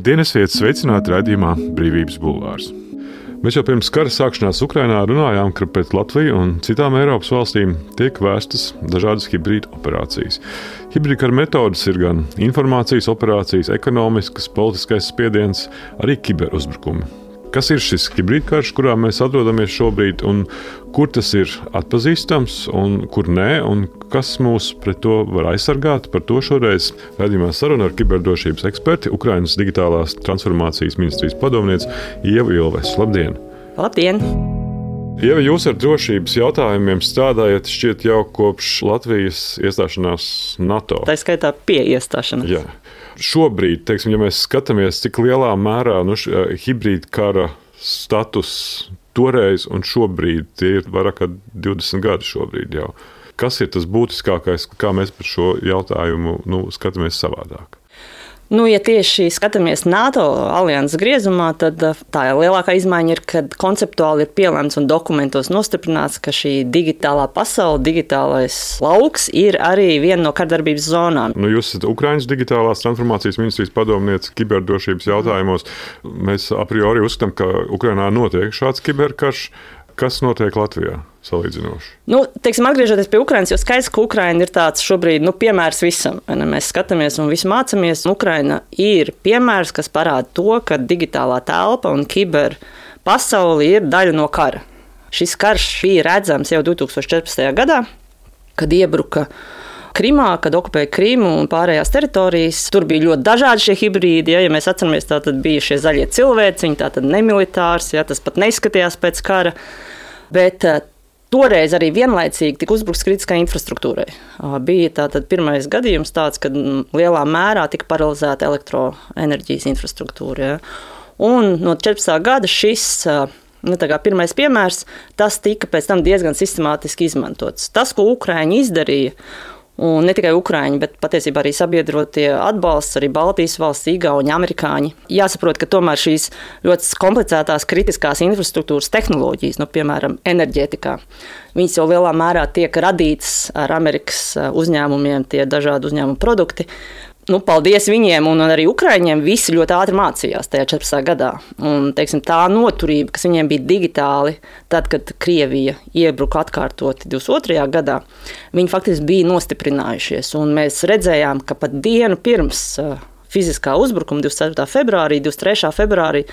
Labdien, esiet sveicināti raidījumā Brīvības bulvārs. Mēs jau pirms kara sākšanās Ukrainā runājām, ka pret Latviju un citām Eiropas valstīm tiek vēstas dažādas hibrīda operācijas. Hibrīda kara metodas ir gan informācijas operācijas, ekonomiskas, politiskais spiediens, arī kiberuzbrukumi. Kas ir šis hibrīda karš, kurā mēs atrodamies šobrīd, un kur tas ir atpazīstams, un kur nē, un kas mūs pret to var aizsargāt? Par to šoreiz raidījumā saruna ar kiberdrošības eksperti, Ukrainas digitālās transformācijas ministrijas padomniece Ieva Ilves. Labdien! Labdien! Ieva, jūs ar drošības jautājumiem strādājat šķiet jau kopš Latvijas iestāšanās NATO. Tā skaitā pie iestāšanās. Jā. Šobrīd, ja mēs skatāmies, cik lielā mērā hibrīda kara status toreiz un šobrīd, tie ir vairāk kā 20 gadi šobrīd jau. Kas ir tas būtiskākais, kā mēs par šo jautājumu skatāmies savādāk? Ja tieši skatāmies NATO alianses griezumā, tad tā lielākā izmaiņa ir, kad konceptuāli ir pielēmts un dokumentos nostiprināts, ka šī digitālā pasaule, digitālais lauks ir arī viena no kardarbības zonām. Jūs esat Ukrainas digitālās transformācijas ministrijas padomniece kiberdrošības jautājumos. Mēs a priori uzskatām, ka Ukrainā notiek šāds kiberkarš. Kas notiek Latvijā salīdzinoši? Atgriežoties pie Ukrainas, jo skaidrs, ka Ukraina ir tāds šobrīd piemērs visam. Mēs skatāmies un visu mācāmies. Ukraina ir piemērs, kas parāda to, ka digitālā telpa un kiber pasauli ir daļa no kara. Šis karš bija redzams jau 2014. gadā, kad iebruka Krimā, kad okupēja Krimu un pārējās teritorijas. Tur bija ļoti dažādi šie hibrīdi. Ja mēs atceramies, tad bija šie zaļie cilvēciņi, tātad nemilitārs, tas pat neizskatījās pēc kara. Bet toreiz arī vienlaicīgi tika uzbrukts kritiskai infrastruktūrai. Bija tātad pirmais gadījums tāds, kad lielā mērā tika paralizēta elektroenerģijas infrastruktūra. Un no 14. gada šis pirmais piemērs, tas tika pēc tam diezgan sistemātiski izmantots. Tas, ko Ukraiņi izdarīja, un ne tikai Ukraiņi, bet patiesībā arī sabiedrotie atbalsts, arī Baltijas valsts, Igauņi, amerikāņi. Jāsaprot, ka tomēr šīs ļoti komplicētās kritiskās infrastruktūras tehnoloģijas, piemēram, enerģētikā, viņas jau lielā mērā tiek radītas ar Amerikas uzņēmumiem, tie dažādi uzņēmumu produkti. Paldies viņiem un arī Ukraiņiem, visi ļoti ātri mācījās tajā 14. gadā. Un, tā noturība, kas viņiem bija digitāli, tad, kad Krievija iebruka atkārtoti 22. gadā, viņi faktiski bija nostiprinājušies. Un mēs redzējām, ka pat dienu pirms fiziskā uzbrukuma 24. februārī, 23. februārī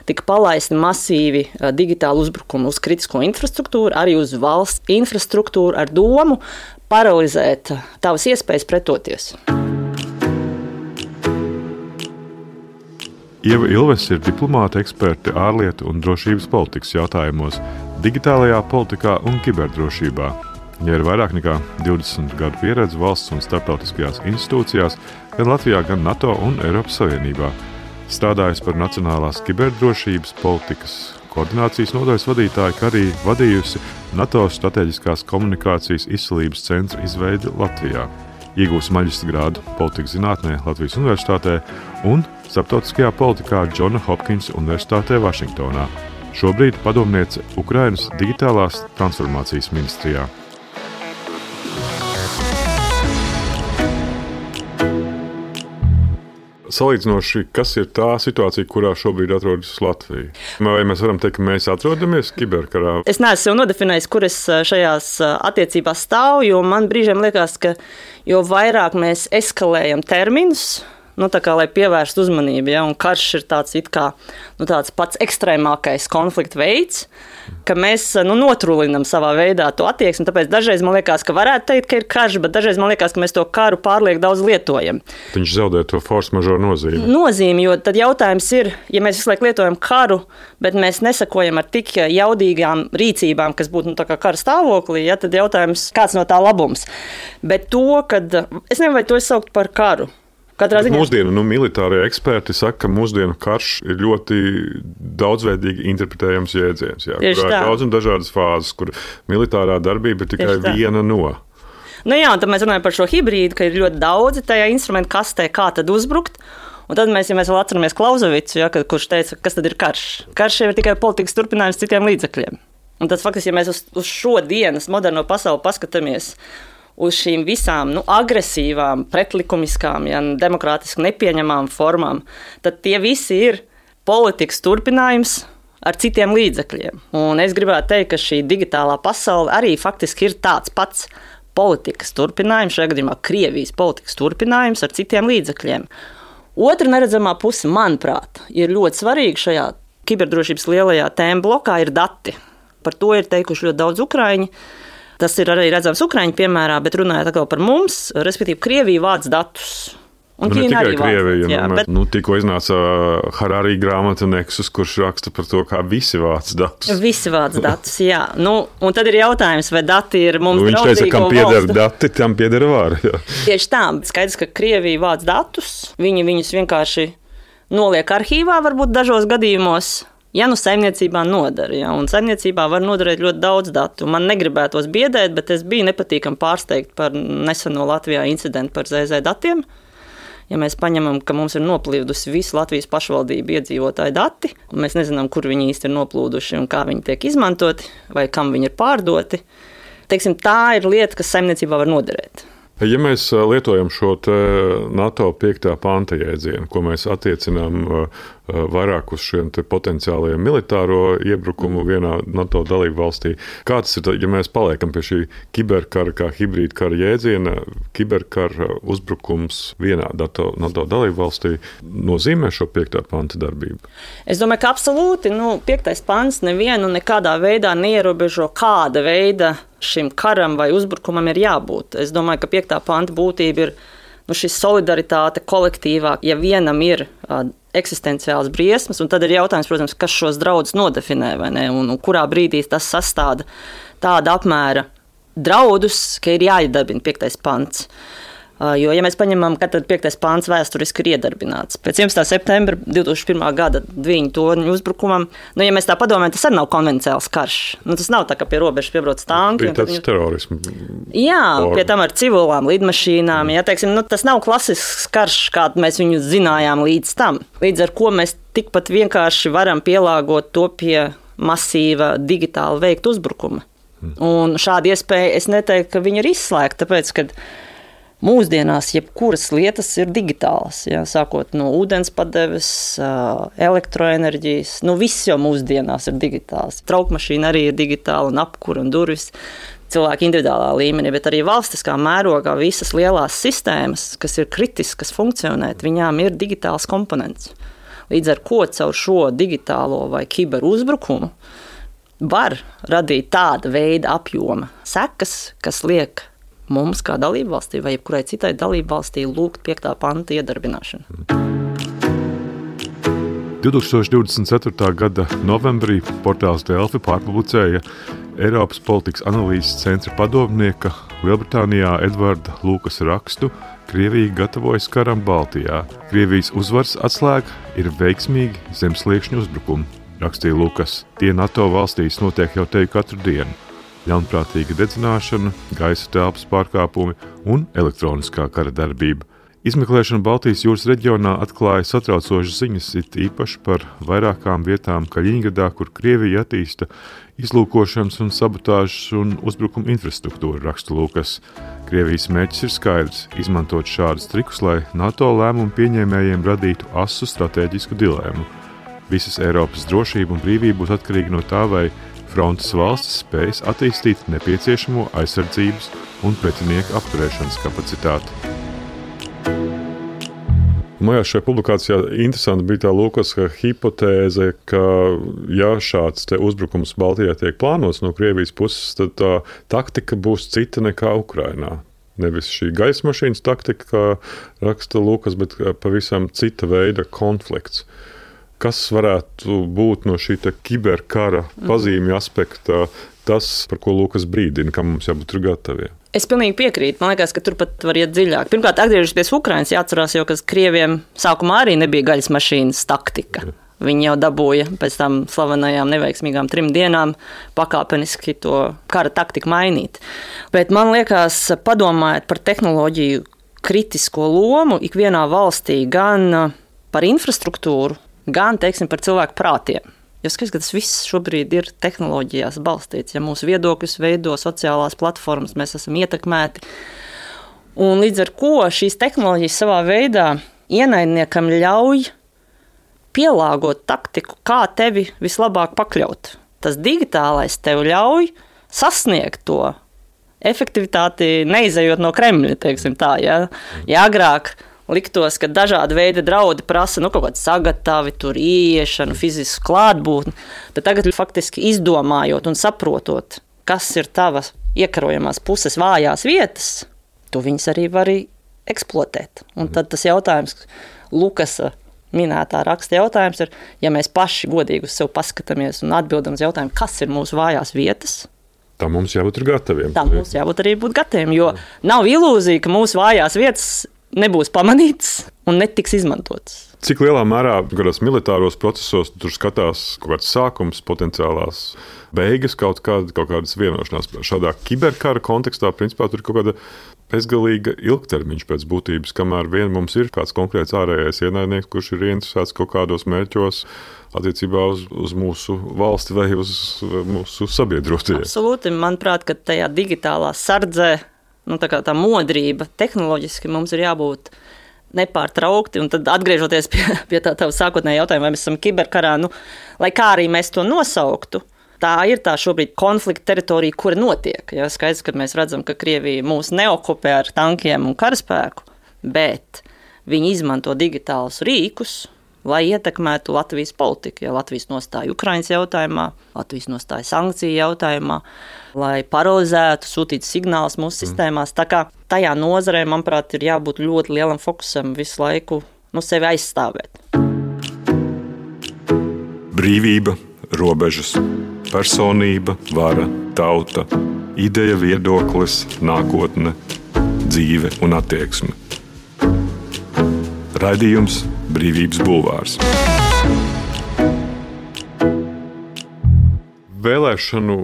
tika palaisti masīvi digitāli uzbrukumi uz kritisko infrastruktūru, arī uz valsts infrastruktūru ar domu paralizēt tavas iespējas pretoties. Ieva Ilves ir diplomāta eksperte ārlietu un drošības politikas jautājumos, digitālajā politikā un kiberdrošībā. Viņa ir vairāk nekā 20 gadu pieredze valsts un starptautiskajās institūcijās, gan Latvijā, gan NATO un Eiropas Savienībā. Strādājusi par nacionālās kiberdrošības politikas koordinācijas nodaļas vadītāju, kā arī vadījusi NATO strateģiskās komunikācijas izcelības centra izveidi Latvijā. Iegūsi maģistra grādu politikas zinātnē Latvijas Universitātē un starptautiskajā politikā Džona Hopkinsa Universitātē Vašingtonā. Šobrīd padomniece Ukrainas digitālās transformācijas ministrijā. Salīdzinoši, kas ir tā situācija, kurā šobrīd atrodas Latvija? Vai mēs varam teikt, ka mēs atrodamies kiberkarā? Es neesmu sev nodefinējis, kur es šajās attiecībās stāvu, jo man brīžiem liekas, ka jo vairāk mēs eskalējam terminus, lai pievērstu uzmanību, un karš ir tāds tāds pats ekstrēmākais konflikta veids, ka mēs notrulinam savā veidā to attieksmi. Tāpēc dažreiz man liekas, ka varētu teikt, ka ir karš, bet dažreiz man liekas, ka mēs to karu pārlieku daudz lietojam. Viņš zaudē to force majeure nozīmi, jo tad jautājums ir, ja mēs visu laiku lietojam karu, bet mēs nesakojam ar tik jaudīgām rīcībām, kas būtu kara stāvoklī, tad jautājums, kāds no tā labums. Bet to, kad es nevaru to saukt par karu. Mūsdienu militārie eksperti saka, ka mūsdienu karš ir ļoti daudzveidīgi interpretējams jēdziens. Kurā ir daudz un dažādas fāzes, kur militārā darbība ir tikai viena no. Un tad mēs runājam par šo hibrīdu, ka ir ļoti daudzi tajā instrumentu kastē, kā tad uzbrukt. Un tad mēs vēl atceramies Klauzovicu, kurš teica, kas tad ir karš. Karš jau ir tikai politikas turpinājums citiem līdzekļiem. Un tad faktiski, ja mēs uz šo dienas moderno pasauli paskatāmies, uz šīm visām agresīvām, pretlikumiskām, demokrātiski nepieņemamām formām, tad tie visi ir politikas turpinājums ar citiem līdzekļiem. Un es gribētu teikt, ka šī digitālā pasaule arī faktiski ir tāds pats politikas turpinājums, šajā gadījumā Krievijas politikas turpinājums ar citiem līdzekļiem. Otra neredzamā puse, manuprāt, ir ļoti svarīga šajā kiberdrošības lielajā tēma blokā ir dati. Par to ir teikuši ļoti daudz ukraiņi. Tas ir arī redzams ukraiņu piemērā, bet runājot atkal par mums, respektīvi Krievija vāc datus. Un ne tikai Krievija, bet tikko iznāca Harari grāmata Nexus, kurš raksta par to, kā visi vāc datus. Visi vāc datus, jā. Un tad ir jautājums, vai dati ir mums draudzīgo valstu. Viņš teica, kam pieder dati, tam pieder vāra. Tieši tā, skaidrs, ka Krievija vāc datus, viņi viņus vienkārši noliek arhīvā, varbūt dažos gadījumos. Ja saimniecībā nodara, un saimniecībā var noderēt ļoti daudz datu. Man negribētos biedēt, bet es biju nepatīkami pārsteigta par neseno Latvijā incidentu par ZZ datiem. Ja mēs paņemam, ka mums ir noplūdusi visu Latvijas pašvaldību iedzīvotāju dati, un mēs nezinām, kur viņi īsti ir noplūduši un kā viņi tiek izmantoti, vai kam viņi ir pārdoti, teiksim, tā ir lieta, kas saimniecībā var noderēt. Ja mēs lietojam šo NATO 5. panta jēdzienu, ko mēs attiecinām vairāk uz šiem potenciālajiem militāro iebrukumu vienā NATO dalību valstī, kāds ir, ja mēs paliekam pie šī kiberkara kā hibrīda kara jēdziena, kiberkara uzbrukums vienā NATO dalību valstī nozīmē šo 5. panta darbību? Es domāju, ka absolūti, 5. pants nevienu nekādā veidā neierobežo, kāda veida šim karam vai uzbrukumam ir jābūt. Es domāju, ka 5. panta būtība ir šī solidaritāte kolektīvā, ja vienam ir eksistenciāls briesmas, un tad ir jautājums, protams, kas šos draudus nodefinē, vai ne, un kurā brīdī tas sastāda tāda apmēra draudus, ka ir jāiedarbina 5. pants. Jo, ja mēs paņemam, kad 5. pāns vēsturiski ir iedarbināts. Pēc 11. septembra 2001. gada Dviņu torņu uzbrukumam, ja mēs tā padomājam, tas arī nav konvencionāls karš. Tas nav tā, ka pie robežas piebrauc tanki. Bija tāds terorismu. Jā, pie tam ar civilām lidmašīnām. Jā, teiksim, tas nav klasisks karš, kādu mēs viņu zinājām līdz tam. Līdz ar ko mēs tikpat vienkārši varam pielāgot to pie masīva digitāli veikta uzbrukuma. Un šāda iespēja, es neteiktu, ka viņa ir izslēgta, tāpēc, ka mūsdienās jebkuras lietas ir digitālas, sākot no ūdenspadeves, elektroenerģijas. Viss jau mūsdienās ir digitāls. Traukmašīna arī ir digitāla un apkura un durvis cilvēku individuālā līmenī, bet arī valstiskā mērogā visas lielās sistēmas, kas ir kritiskas funkcionēt, viņām ir digitāls komponents. Līdz ar ko caur šo digitālo vai kiberuzbrukumu var radīt tāda veida apjoma sekas, kas liek mums kā dalībvalstī vai jebkurai citai dalībvalstī lūgt 5. panta iedarbināšanu. 2024. gada novembrī portāls Delfi pārpublicēja Eiropas politikas analīzes centra padomnieka Lielbritānijā Edvarda Lukasa rakstu Krievija gatavojas karam Baltijā. Krievijas uzvaras atslēga ir veiksmīgi zemsliekšņu uzbrukumi, rakstīja Lukas. Tie NATO valstīs notiek jau teju katru dienu. Ļaunprātīga dedzināšana, gaisa telpas pārkāpumi un elektroniskā kara darbība. Izmeklēšana Baltijas jūras reģionā atklāja satraucošas ziņas, it īpaši par vairākām vietām Kaļiņgradā, kur Krievija attīsta izlūkošanas un sabotāžas un uzbrukuma infrastruktūru, raksta Lukas. Krievijas mērķis ir skaidrs – izmantot šādus trikus, lai NATO lēmumu pieņēmējiem radītu asu stratēģisku dilēmu. Visas Eiropas drošība un brīvība būs atkarīga no tā, vai frontes valstis spējas attīstīt nepieciešamo aizsardzības un pretinieku apturēšanas kapacitāti. Man šajā publikācijā interesanti bija tā Lukasa hipotēze, ka ja šāds uzbrukums Baltijā tiek plānots no Krievijas puses, tad tā taktika būs cita nekā Ukrainā. Nevis šī gaisa mašīnas taktika, kā raksta Lukas, bet pavisam cita veida konflikts. Kas varētu būt no šī kiberkara pazīmju aspekta tas, par ko Lukas brīdina, kam mums jābūt gataviem? Es pilnīgi piekrītu. Man liekas, ka tur pat var iet dziļāk. Pirmkārt, atgriežoties Ukrainas, jāatcerās jau, ka Krieviem sākumā arī nebija gaļas mašīnas taktika. Viņi jau dabūja pēc tam slavenajām neveiksmīgām 3 dienām pakāpeniski to kara taktiku mainīt. Bet man liekas, padomājot par tehnoloģiju kritisko lomu ikvienā valstī, gan par infrastruktūru, gan, teiksim, par cilvēku prātiem. Jo skaidrs, ka tas viss šobrīd ir tehnoloģijās balstīts. Ja mūsu viedokļus veido sociālās platformas, mēs esam ietekmēti. Un līdz ar ko šīs tehnoloģijas savā veidā ienaidniekam ļauj pielāgot taktiku, kā tevi vislabāk pakļaut. Tas digitālais tev ļauj sasniegt to efektivitāti, neizejot no Kremļa, teiksim tā. Ja agrāk liktos, ka dažādi veidi draudi prasa kaut kādu sagatavi, tur ieiešanu, fizisku klātbūtni, tad tagad faktiski izdomājot un saprotot, kas ir tavas iekarojamās puses vājās vietas, tu viņas arī vari eksploatēt. Un tad tas jautājums, Lukasa minētā raksta jautājums ir, ja mēs paši godīgi uz sevi paskatāmies un atbildam uz jautājumu, kas ir mūsu vājās vietas, tā mums jābūt gataviem. Tā mums jābūt arī gataviem, jo nav ilūzija, ka mūsu vājās vietas nebūs pamanītas un netiks izmantotas. Cik lielā mērā kādos militāros procesos tur skatās kaut kāds sākums, potenciālās beigas, kaut kādas vienošanās? Šādā kiberkara kontekstā, principā, tur ir kaut kāda bezgalīga ilgtermiņš pēc būtības, kamēr vien mums ir kāds konkrēts ārējais ienaidnieks, kurš ir ieinteresēts kaut kādos mērķos attiecībā uz mūsu valsti vai uz mūsu sabiedrotajiem. Absolūti. Manuprāt, ka tajā digitālā sardzē, tā modrība tehnoloģiski mums ir jābūt nepārtraukti. Un tad atgriežoties pie tā sākotnējā jautājuma, vai mēs esam kiberkarā, lai kā arī mēs to nosauktu, tā ir tā šobrīd konflikta teritorija, kura notiek. Ja, skaidrs, ka mēs redzam, ka Krievija mūs neokupē ar tankiem un karaspēku, bet viņi izmanto digitālus rīkus, lai ietekmētu Latvijas politiku. Ja Latvijas nostāja Ukrainas jautājumā, Latvijas nostāja sankciju jautājumā, lai paralizētu, sūtītu signālus mūsu sistēmās. Tā kā tajā nozarē, manuprāt, ir jābūt ļoti lielam fokusam visu laiku sevi aizstāvēt. Brīvība, robežas, personība, vara, tauta, ideja, viedoklis, nākotne, dzīve un attieksme. Raidījums Brīvības bulvārs. Vēlēšanu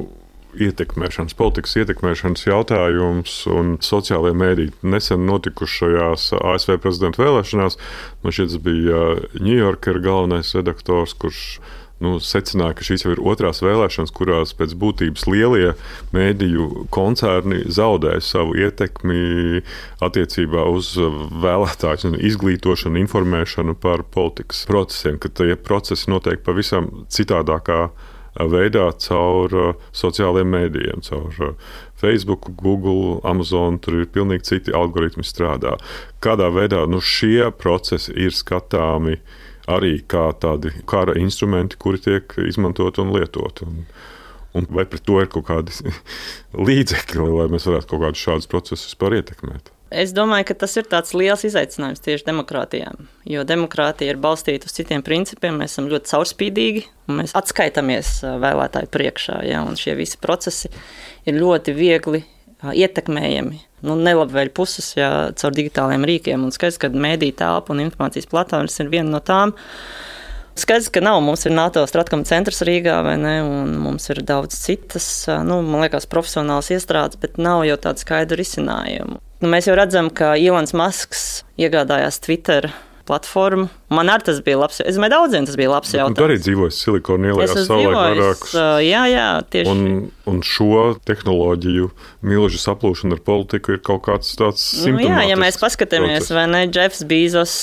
ietekmēšanas, politikas ietekmēšanas jautājums un sociālajie mēdī nesen notikušajās ASV prezidenta vēlēšanās. Man šķiet, tas bija New Yorker galvenais redaktors, kurš secināja, ka šīs jau ir otrās vēlēšanas, kurās pēc būtības lielie mēdīju koncerni zaudēja savu ietekmi attiecībā uz vēlētāju izglītošanu, informēšanu par politikas procesiem, ka tie procesi notiek pavisam citādākā veidā caur sociālajiem mēdījiem, caur Facebook, Google, Amazon, tur ir pilnīgi citi algoritmi strādā. Kādā veidā šie procesi ir skatāmi arī kā tādi kara instrumenti, kuri tiek izmantoti un lietoti. Un vai pret to ir kaut kādi līdzekļi, lai mēs varētu kaut kādus šādus procesus vispār ietekmēt? Es domāju, ka tas ir tāds liels izaicinājums tieši demokrātijām, jo demokrātija ir balstīta uz citiem principiem, mēs esam ļoti caurspīdīgi un mēs atskaitamies vēlētāju priekšā, ja, un šie visi procesi ir ļoti viegli ietekmējami. Nelabvēļ puses, ja caur digitāliem rīkiem, un skaidrs, ka mēdīja telpa un informācijas platformas ir viena no tām. Skaidrs, ka mums ir NATO Stratkom centrs Rīgā, vai ne, un mums ir daudz citas, man liekas, profesionālas iestrādes, bet nav jau tādu skaidru risinājumu. Mēs jau redzam, ka Ilons Masks iegādājās Twitter platformu. Man arī tas bija labs. Es domāju, daudziem tas bija labs jautājums. Tu arī dzīvoji Silikona ielā savulaik vairākus. Jā, tieši. Un šo tehnoloģiju milžu saplūšana ar politiku ir kaut kāds tāds simptomātisks. Ja mēs paskatāmies, vai ne, Jeffs Bezos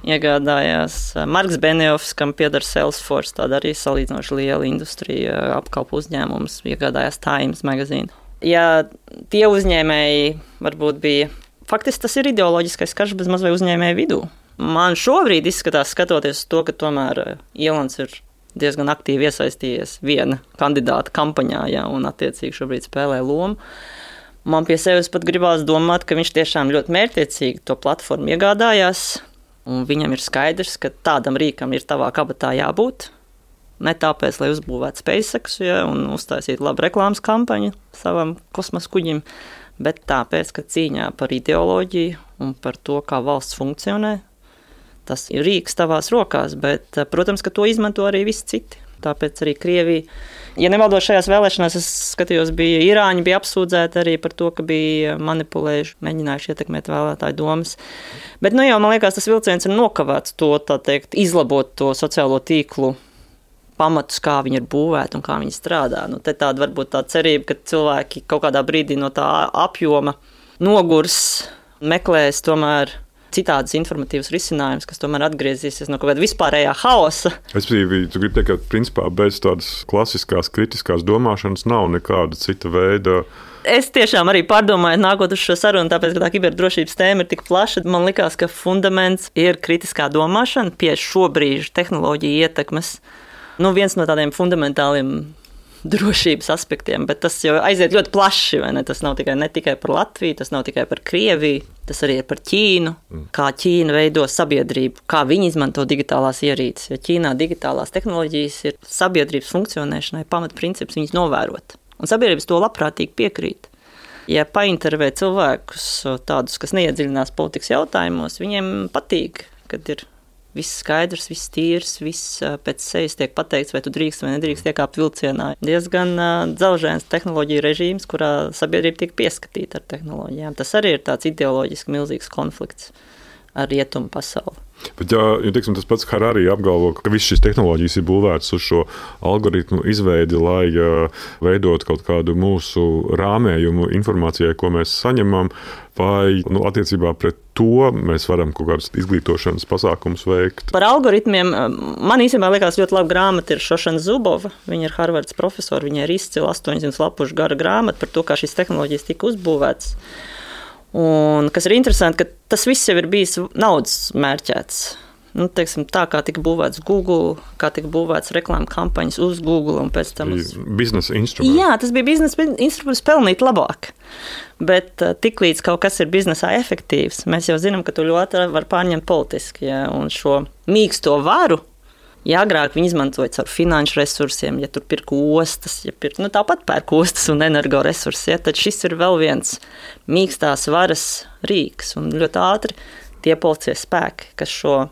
iegādājās, Marks Benioffs, kam pieder Salesforce, tāda arī salīdzinoši liela industrija, apkalpu uzņēmums, iegādājās Times magazīnu. Ja tie uzņēmēji varbūt bija, faktiski tas ir ideoloģiskais karš bez mazliet uzņēmēju vidū. Man šobrīd izskatās, skatoties to, ka tomēr Ilons ir diezgan aktīvi iesaistījies viena kandidāta kampaņā, un attiecīgi šobrīd spēlē lomu. Man pie sevis pat gribās domāt, ka viņš tiešām ļoti mērķtiecīgi to platformu iegādājās, un viņam ir skaidrs, ka tādam rīkam ir tavā kabatā jābūt. Ne tāpēc, lai uzbūvētu SpaceX un uztaisītu labu reklāmas kampaņu savam kosmosa kuģim, bet tāpēc, ka cīņā par ideoloģiju un par to, kā valsts funkcionē, tas ir rīks tavās rokās, bet, protams, ka to izmanto arī visi citi. Tāpēc arī Krievija, ja nemaldos šajās vēlēšanās, es skatījos, Irāņi bija apsūdzēti arī par to, ka bija manipulējuši, mēģinājuši ietekmēt vēlētāju domas. Bet, man liekas, tas vilciens ir nokavēts to, izlabot to sociālo tīklu pamatus, kā viņi ir būvēti un kā viņi strādā. Te tāda varbūt tā cerība, ka cilvēki kaut kādā brīdī no tā apjoma nogurs, meklēs tomēr citādas informatīvas risinājumus, kas tomēr atgriezīsies no kaut kāda vispārējā haosa. Respektīvi, tu gribi teikt, ka principā bez tādas klasiskās, kritiskās domāšanas nav nekāda cita veida. Es tiešām arī pārdomāju, nākot uz šo sarunu, tāpēc, ka tā kiberdrošības tēma ir tik plaša, man likās, ka fundaments ir kritiskā domāšana pie šobrīd tehnoloģiju ietekmes. Viens no tādiem fundamentāliem drošības aspektiem, bet tas jau aiziet ļoti plaši, vai ne? Tas nav ne tikai par Latviju, tas nav tikai par Krieviju, tas arī ir par Ķīnu, kā Ķīna veido sabiedrību, kā viņi izmanto digitālās ierīces, jo Ķīnā digitālās tehnoloģijas ir sabiedrības funkcionēšanai pamatprincips viņas novērot. Un sabiedrības to labprātīgi piekrīt. Ja paintervē cilvēkus tādus, kas neiedziļinās politikas jautājumos, viņiem patīk, kad ir viss skaidrs, viss tīrs, viss pēc sejas tiek pateikts, vai tu drīkst vai nedrīkst iekāpt vilcienā. Diezgan dzelžains tehnoloģija režīms, kurā sabiedrība tiek pieskatīta ar tehnoloģijām. Tas arī ir tāds ideoloģiski milzīgs konflikts ar rietumu pasauli. Bet, teiksim, tas pats Harari apgalvo, ka visas šīs tehnoloģijas ir būvētas uz šo algoritmu izveidi, lai veidot kaut kādu mūsu rāmējumu informācijai, ko mēs saņemam, vai attiecībā pret to mēs varam kaut kādus izglītošanas pasākumus veikt. Par algoritmiem man īstenībā liekas ļoti laba grāmata ir Šošana Zubova. Viņa ir Harvardas profesora, viņa ir izcila 800 lapušu gara grāmata par to, kā šīs tehnoloģijas tika uzbūvētas. Un, kas ir interesanti, ka tas viss jau ir bijis naudas mērķēts. Teiksim, tā kā tika būvēts Google, kā tika būvēts reklāmas kampaņas uz Google un pēc tam uz biznesa instruments. Jā, tas bija biznesa instruments pelnīt labāk. Bet tiklīdz kaut kas ir biznesā efektīvs, mēs jau zinām, ka to ļoti var pārņemt politiski. Ja? Un šo mīksto varu, ja agrāk viņi izmantoja caur finanšu resursiem, ja tur pirka ostas, tāpat pērk ostas un energoresursus, ja, tad šis ir vēl viens mīkstās varas rīks. Un ļoti ātri tie policijas spēki, kas šo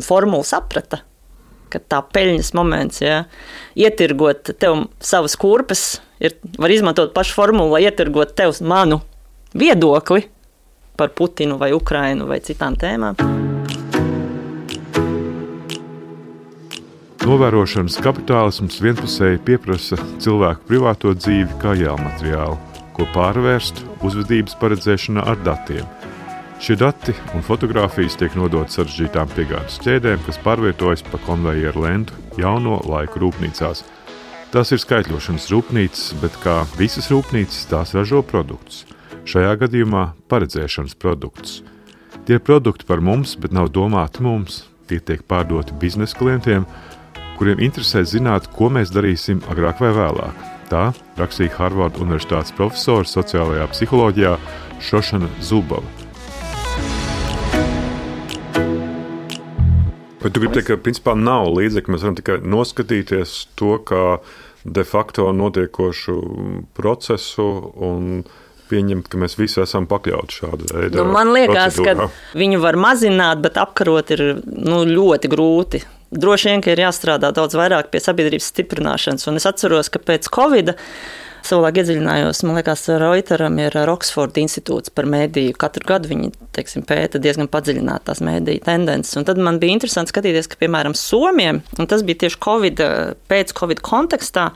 formulu saprata, ka tā peļņas moments, ja, ietirgot tev savas kurpes, var izmantot pašu formulu, lai ietirgot tev manu viedokli par Putinu vai Ukrainu vai citām tēmām. Novērošanas kapitālisms vienpusēji pieprasa cilvēku privāto dzīvi kā jēlmateriālu, ko pārvērst uzvedības paredzēšanā ar datiem. Šie dati un fotogrāfijas tiek nodot sarežģītām piegādes ķēdēm, kas pārvietojas pa konvejeru lentu jauno laiku rūpnīcās. Tās ir skaitļošanas rūpnīcas, bet kā visas rūpnīcas, tās ražo produktus. Šajā gadījumā paredzēšanas produktus. Tie ir produkti par mums, bet nav domāti mums. Tie tiek pārdoti biznesa klientiem, kuriem interesē zināt, ko mēs darīsim agrāk vai vēlāk. Tā rakstīja Harvardas Universitātes profesora sociālajā psiholoģijā Šošana Zubova. Bet tu gribi teikt, ka principā nav līdzekļu, mēs varam tikai noskatīties to, kā de facto notiekošu procesu un pieņemt, ka mēs visi esam pakļauti šāda veida man liekas, procedūrā. Ka viņu var mazināt, bet apkarot ir ļoti grūti. Droši vien, ka ir jāstrādā daudz vairāk pie sabiedrības stiprināšanas. Un es atceros, ka pēc Covid savulaik iedziļinājos, man liekas, Reuteram ir Oxford institūts par mēdīju. Katru gadu viņi, pēta diezgan padziļināt tās mēdīju tendences. Un tad man bija interesanti skatīties, ka, piemēram, Somiem, un tas bija tieši pēc Covid kontekstā,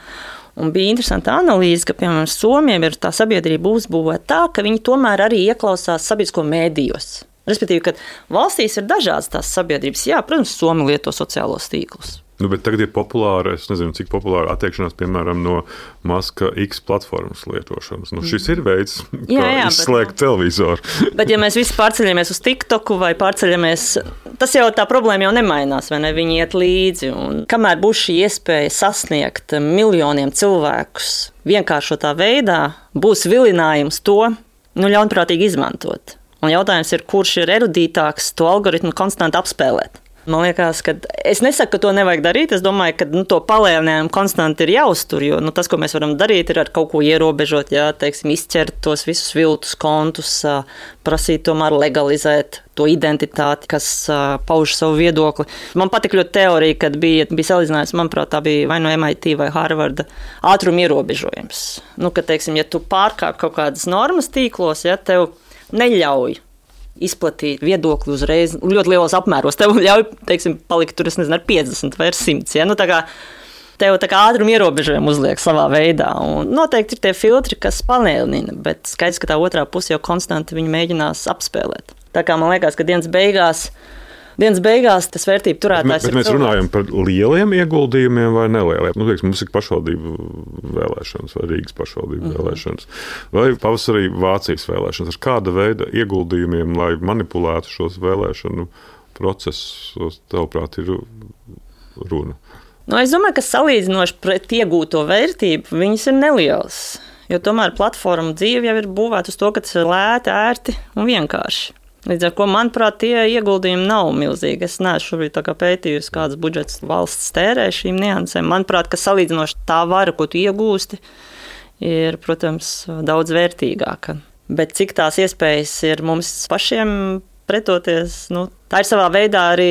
un bija interesanta analīze, ka, piemēram, Somiem ir tā sabiedrība uzbūvēta tā, ka viņi tomēr arī ieklausās sabiedrisko mēdījos. Respektīvi, ka valstīs ir dažādas tās sabiedrības. Jā, protams, Somi lieto sociālos tīklus. Bet tagad ir populāra, es nezinu, cik populāra attiekšanās, piemēram, no Maska X platformas lietošanas. Šis ir veids, kā izslēgt televizoru. Bet ja mēs visi pārceļamies uz TikToku vai pārceļamies, tas jau tā problēma jau nemainās, vai ne? Viņi iet līdzi. Un kamēr būs šī iespēja sasniegt miljoniem cilvēkus vienkāršotā veidā, būs vilinājums to ļaunprātīgi izmantot. Un jautājums ir, kurš ir erudītāks to algoritmu konstanti apspēlēt. Man liekas, ka es nesaku, ka to nevajag darīt. Es domāju, ka to palēnējumu konstanti ir jāuztur, jo tas, ko mēs varam darīt, ir ar kaut ko ierobežot, izķert tos visus viltus kontus, prasīt tomēr legalizēt to identitāti, kas pauž savu viedokli. Man patīk ļoti teorija, kad bija salīdzinājums, manuprāt, tā bija vai no MIT vai Harvarda ātruma ierobežojums. Ka, ja tu pārkāp kaut kādas normas tīklos, tev neļauj izplatīt viedokli uzreiz ļoti lielos apmēros. Tev ļauj, palikt tur, ar 50 vai ar 100. Ja? Tā kā tev tā kā ātruma ierobežojumi uzliek savā veidā. Un noteikti ir tie filtri, kas palielina, bet skaidrs, ka tā otrā puse jau konstanti viņu mēģinās apspēlēt. Tā kā man liekas, ka dienas beigās tas vērtību turētājs bet mēs runājam par lieliem ieguldījumiem vai nelieliem. Teiksim, mums ir pašvaldību vēlēšanas vai Rīgas pašvaldību vēlēšanas vai pavasarī Vācijas vēlēšanas. Ar kāda veida ieguldījumiem, lai manipulētu šos vēlēšanu procesus, tavuprāt, ir runa? Es domāju, ka salīdzinoši pret iegūto vērtību viņas ir nelielas. Jo tomēr platforma dzīve jau ir būvēta uz to, ka tas ir lēti, ērti un vienkārši. Līdz ar ko, manuprāt, tie ieguldījumi nav milzīgi. Es neesmu šobrīd pētījusi, kāds budžets valsts tērē šīm niansēm. Manuprāt, ka salīdzinoši tā vara, ko tu iegūsti, ir, protams, daudz vērtīgāka. Bet cik tās iespējas ir mums pašiem pretoties, tā ir savā veidā arī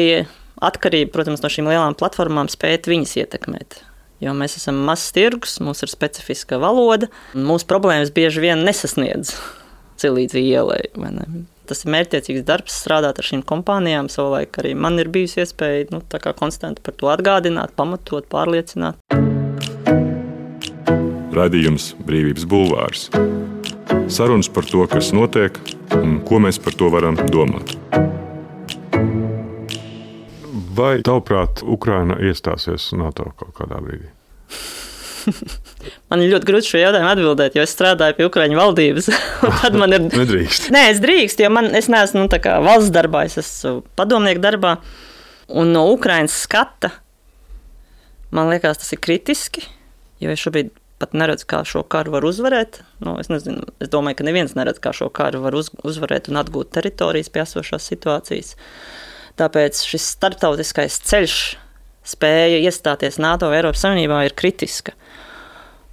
atkarība, protams, no šīm lielām platformām spēt viņas ietekmēt. Jo mēs esam mazs tirgus, mums ir specifiska valoda, un mūsu problēmas bieži vien nesasniedz līdz ielai, vai ne? Tas ir mērķtiecīgs darbs, strādāt ar šīm kompānijām. Savulaik arī man ir bijusi iespēja konstanti par to atgādināt, pamatot, pārliecināt. Raidījums Brīvības bulvārs. Sarunas par to, kas notiek un ko mēs par to varam domāt. Vai, tavuprāt, Ukraina iestāsies NATO kaut kādā brīdī? Man ir ļoti grūti šo jautājumu atbildēt, jo es strādāju pie Ukraiņu valdības. Tad man ir... Nedrīkst. Nē, es drīkst, jo es neesmu valsts darbā, es esmu padomnieku darbā. Un no Ukrainas skata, man liekas, tas ir kritiski, jo es šobrīd pat neredzu, kā šo karu var uzvarēt. Es nezinu, es domāju, ka neviens neredz, kā šo karu var uzvarēt un atgūt teritorijas pie esošās situācijas. Tāpēc šis starptautiskais ceļš, spēja iestāties NATO vai Eiropas Savienībā ir kritiska.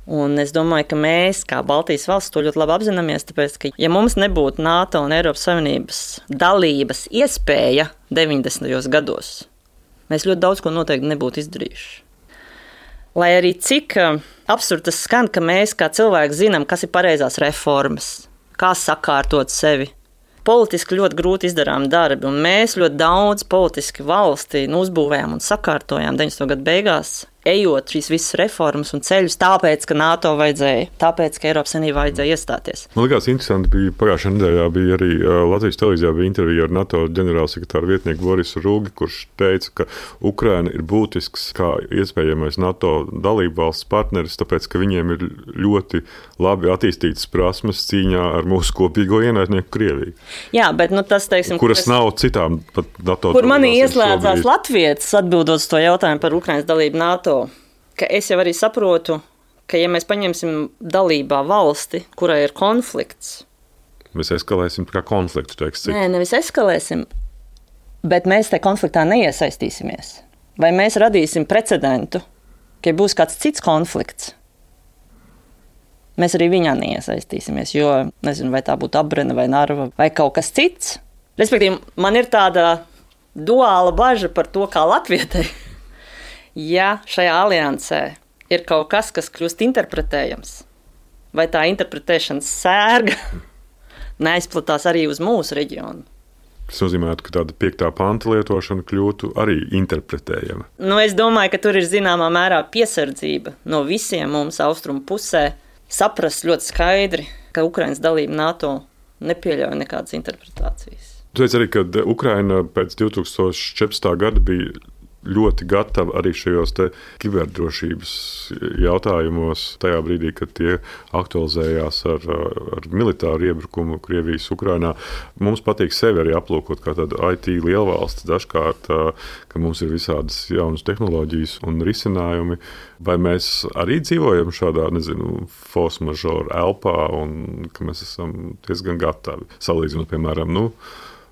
Un es domāju, ka mēs, kā Baltijas valsts, to ļoti labi apzināmies, tāpēc, ka ja mums nebūtu NATO un Eiropas Savienības dalības iespēja 90. gados, mēs ļoti daudz ko noteikti nebūtu izdarījuši. Lai arī cik absurdi tas skan, ka mēs kā cilvēki zinām, kas ir pareizās reformas, kā sakārtot sevi. Politiski ļoti grūti izdarām darbi, un mēs ļoti daudz politiski valsti uzbūvējām un sakārtojām 90. gadu beigās, ejot šīs visas reformas un ceļus, tāpēc, ka NATO vajadzēja, tāpēc, ka Eiropas Savienībā vajadzēja iestāties. Man liekas, interesanti bija pagājušajā nedēļā bija arī Latvijas televīzijā bija intervija ar NATO ģenerālsekretāru vietnieku Borisu Rūgi, kurš teica, ka Ukraina ir būtisks kā iespējamais NATO dalību valsts partneris, tāpēc, ka viņiem ir ļoti labi attīstītas prasmes cīņā ar mūsu kopīgo ienaidnieku Krieviju. Jā, bet tas, teiksim, kuras nav citām pat NATO. Kur manī ieslēdzās latvietis atbildot uz to jautājumu par Ukrainas dalību NATO, ka es jau arī saprotu, ka ja mēs paņemsim dalībā valsti, kurai ir konflikts. Mēs eskalēsim kā konfliktu, teiks cik. Nē, nevis eskalēsim, bet mēs te konfliktā neiesaistīsimies. Vai mēs radīsim precedentu, ka būs kāds cits konflikts, mēs arī viņā neiesaistīsimies, jo nezinu, vai tā būtu Abrena vai Narva vai kaut kas cits. Respektīvi, man ir tāda duāla baža par to, kā latvietei. Ja šajā aliansē ir kaut kas, kas kļūst interpretējams, vai tā interpretēšanas sērga neaizplatās arī uz mūsu reģionu. Tas nozīmē, ka tāda 5. panta lietošana kļūtu arī interpretējama. Es domāju, ka tur ir zināmā mērā piesardzība no visiem mums austrumu pusē saprast ļoti skaidri, ka Ukrainas dalība NATO nepieļauj nekādas interpretācijas. Tu teici arī, ka Ukraina pēc 2014. gada bija ļoti gatava arī šajos kiberdrošības jautājumos, tajā brīdī, kad tie aktualizējās ar militāru iebrukumu Krievijas Ukrainā. Mums patīk sevi arī aplūkot kā tādu IT lielvalsts dažkārt, ka mums ir visādas jaunas tehnoloģijas un risinājumi. Vai mēs arī dzīvojam šādā, force majeure elpā un ka mēs esam diezgan gatavi salīdzinot, piemēram,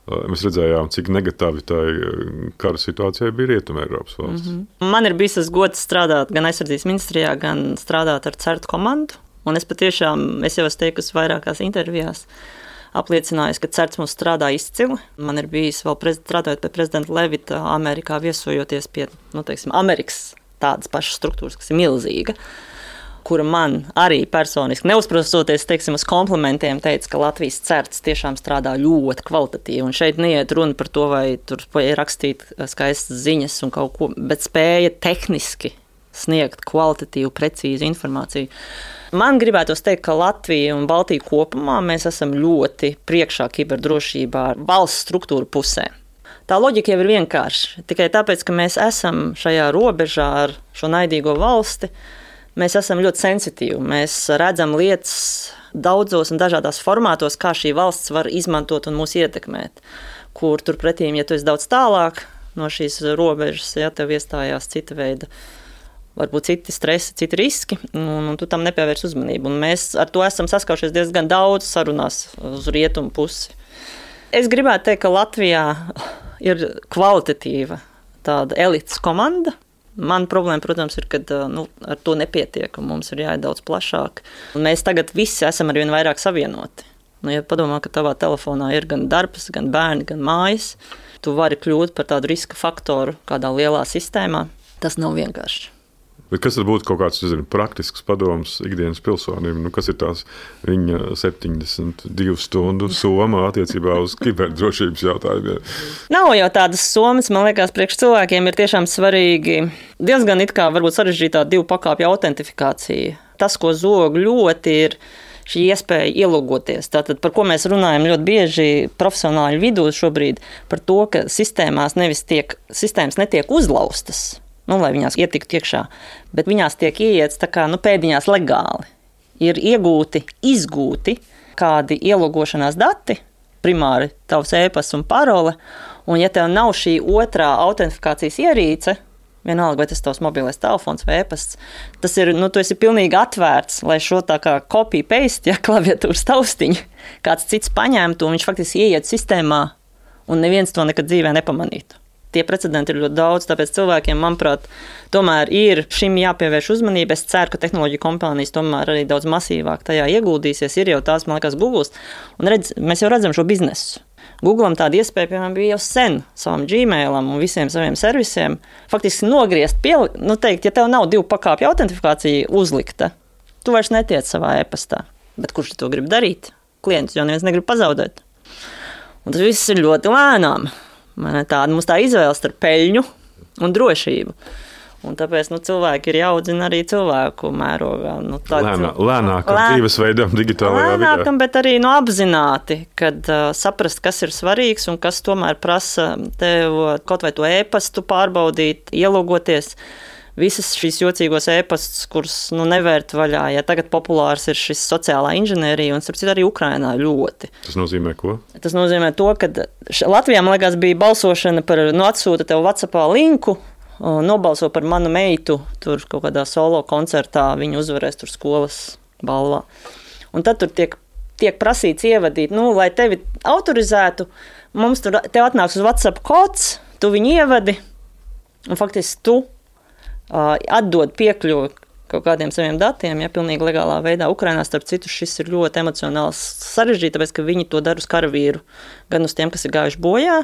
mēs redzējām, cik negatīvi tā kara situācijai bija Rietumē Eiropas valsts. Man ir bijis tas gods strādāt gan aizsardzības ministrijā, gan strādāt ar CERT komandu. Un es patiešām, es jau esmu teikusi vairākās intervijās, apliecinājusi, ka CERT mums strādā izcili. Man ir bijis vēl strādājot pie prezidenta Levita Amerikā, viesojoties pie, Amerikas tādas pašas struktūras, kas ir milzīga, kura man arī personiski neuzprostoties, uz komplimentiem teica, ka Latvijas CERTs tiešām strādā ļoti kvalitatīvi. Un šeit neiet runa par to, vai tur rakstīt skaistas ziņas un kaut ko, bet spēja tehniski sniegt kvalitatīvu, precīzu informāciju. Man gribētos teikt, ka Latvija un Baltija kopumā mēs esam ļoti priekšā kiberdrošībā valsts struktūra pusē. Tā loģika jau ir vienkārša. Tikai tāpēc, ka mēs esam šajā robežā ar šo naidīgo valsti, mēs esam ļoti sensitīvi. Mēs redzam lietas daudzos un dažādās formātos, kā šī valsts var izmantot un mūs ietekmēt. Kur turpretī, ja tu esi daudz tālāk no šīs robežas, ja tev iestājās cita veida, varbūt citi stresi, citi riski, un tu tam nepievērs uzmanību. Un mēs ar to esam saskaušies diezgan daudz sarunās uz rietumu pusi. Es gribētu teikt, ka Latvijā ir kvalitatīva tāda elites komanda. Man problēma, protams, ir, ka ar to nepietiek, un mums ir jāiet daudz plašāk. Un mēs tagad visi esam arvien vairāk savienoti. Ja padomā, ka tavā telefonā ir gan darbs, gan bērni, gan mājas, tu vari kļūt par tādu riska faktoru kādā lielā sistēmā. Tas nav vienkārši. Bet kas tad būtu kaut kāds praktisks padoms ikdienas pilsonim? Kas ir tās viņa 72 stundu soma attiecībā uz kiberdrošības jautājumiem? Nav jau tādas somas, man liekas, priekš cilvēkiem ir tiešām svarīgi diezgan it kā varbūt sarežģītā 2 pakāpju autentifikācija. Tas, ko zog ļoti, ir šī iespēja ielogoties. Tātad, par ko mēs runājam ļoti bieži profesionāļu vidū šobrīd, par to, ka sistēmas netiek uzlaustas. Lai viņās ietiktu iekšā, bet viņās tiek ieiets tā kā pēdiņās legāli. Ir izgūti kādi ielogošanās dati, primāri tavs e-pasts un parole, un ja tev nav šī otrā autentifikācijas ierīce, vienalga, vai tas tavs mobilais telefons vai e-pasts, tas ir, tu esi pilnīgi atvērts, lai šo tā kā copy-paste, klaviatūras taustiņu, kāds cits paņemtu, un viņš faktiski ieiet sistēmā, un neviens to nekad dzīvē nepamanītu. Tie precedenti ir ļoti daudz, tāpēc cilvēkiem, manuprāt, tomēr ir šim jāpievērš uzmanība. Es ceru, ka tehnoloģiju kompānijas tomēr arī daudz masīvāk tajā ieguldīsies. Ir jau tās, man liekas, Google. Un mēs jau redzam šo biznesu. Google'am tāda iespēja, piemēram, bija jau sen savam Gmailam un visiem saviem servisiem. Faktiski nogriezt teikt, ja tev nav 2 pakāpju autentifikācija uzlikta, tu vairs netiec savā e-pastā. Bet kurš to grib darīt? Klients jau neviens negrib pazaudēt. Un tas viss ir ļoti lēnām. Mums tā izvēle starp peļņu un drošību. Un tāpēc cilvēki ir jāaudzina arī cilvēku mērogā. Lēnākam dzīvesveidam digitālajā vidē. Lēnākam, bet arī apzināti, kad saprast, kas ir svarīgs un kas tomēr prasa tev kaut vai to e-pastu pārbaudīt, ielogoties. Visas šīs jocīgos e-pastus, kurus nevērt vaļā. Ja tagad populārs ir šis sociālā inženierija, un starp citu arī Ukrainā ļoti. Tas nozīmē ko? Tas nozīmē to, ka Latvijā, man liekas, bija balsošana par atsūta tev WhatsAppā linku, nobalso par manu meitu, tur kaut kādā solo koncertā, viņa uzvarēs tur skolas balvā. Un tad tur tiek prasīts ievadīt, lai tevi autorizētu, tev atnāks uz WhatsApp kods, tu viņu ievadi, un faktiski tu atdod piekļuvi kaut kādiem saviem datiem, pilnīgi legālā veidā. Ukrainā, starp citu, šis ir ļoti emocionāls sarežģīts, tāpēc, ka viņi to dara uz karavīru, gan uz tiem, kas ir gājuši bojā,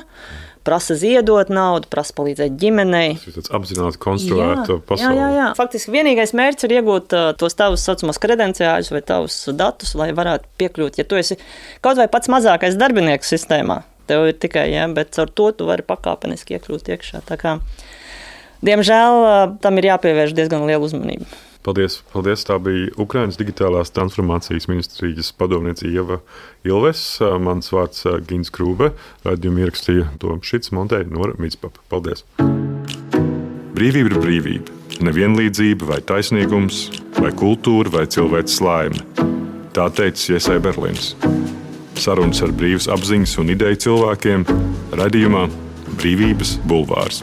prasa ziedot naudu, prasa palīdzēt ģimenei. Tas ir tāds apzināti konstruēta pasaule. Jā. Faktiski vienīgais mērķis ir iegūt tos tavus saucamos kredenciāļus vai tavus datus, lai varētu piekļūt. Ja tu esi kaut vai pats mazākais darbinieks sistēmā, tev ir tikai, bet caur to tu vari pakāpeniski iekļūt iekšā. Tā kā diemžēl tam ir jāpievērš diezgan liela uzmanība. Paldies. Tā bija Ukrainas digitālās transformācijas ministrijas padomniece Ieva Ilves. Mans vārds Gins Krūbe. Raidījumu ierakstīja Toms Šits, montēja Nora Mitspapa. Paldies. Brīvība ir brīvība. Nevienlīdzība vai taisnīgums, vai kultūra vai cilvēks laime. Tā teica Iesai Berlīns. Sarunas ar brīvas apziņas un ideju cilvēkiem raidījumā Brīvības bulvārs.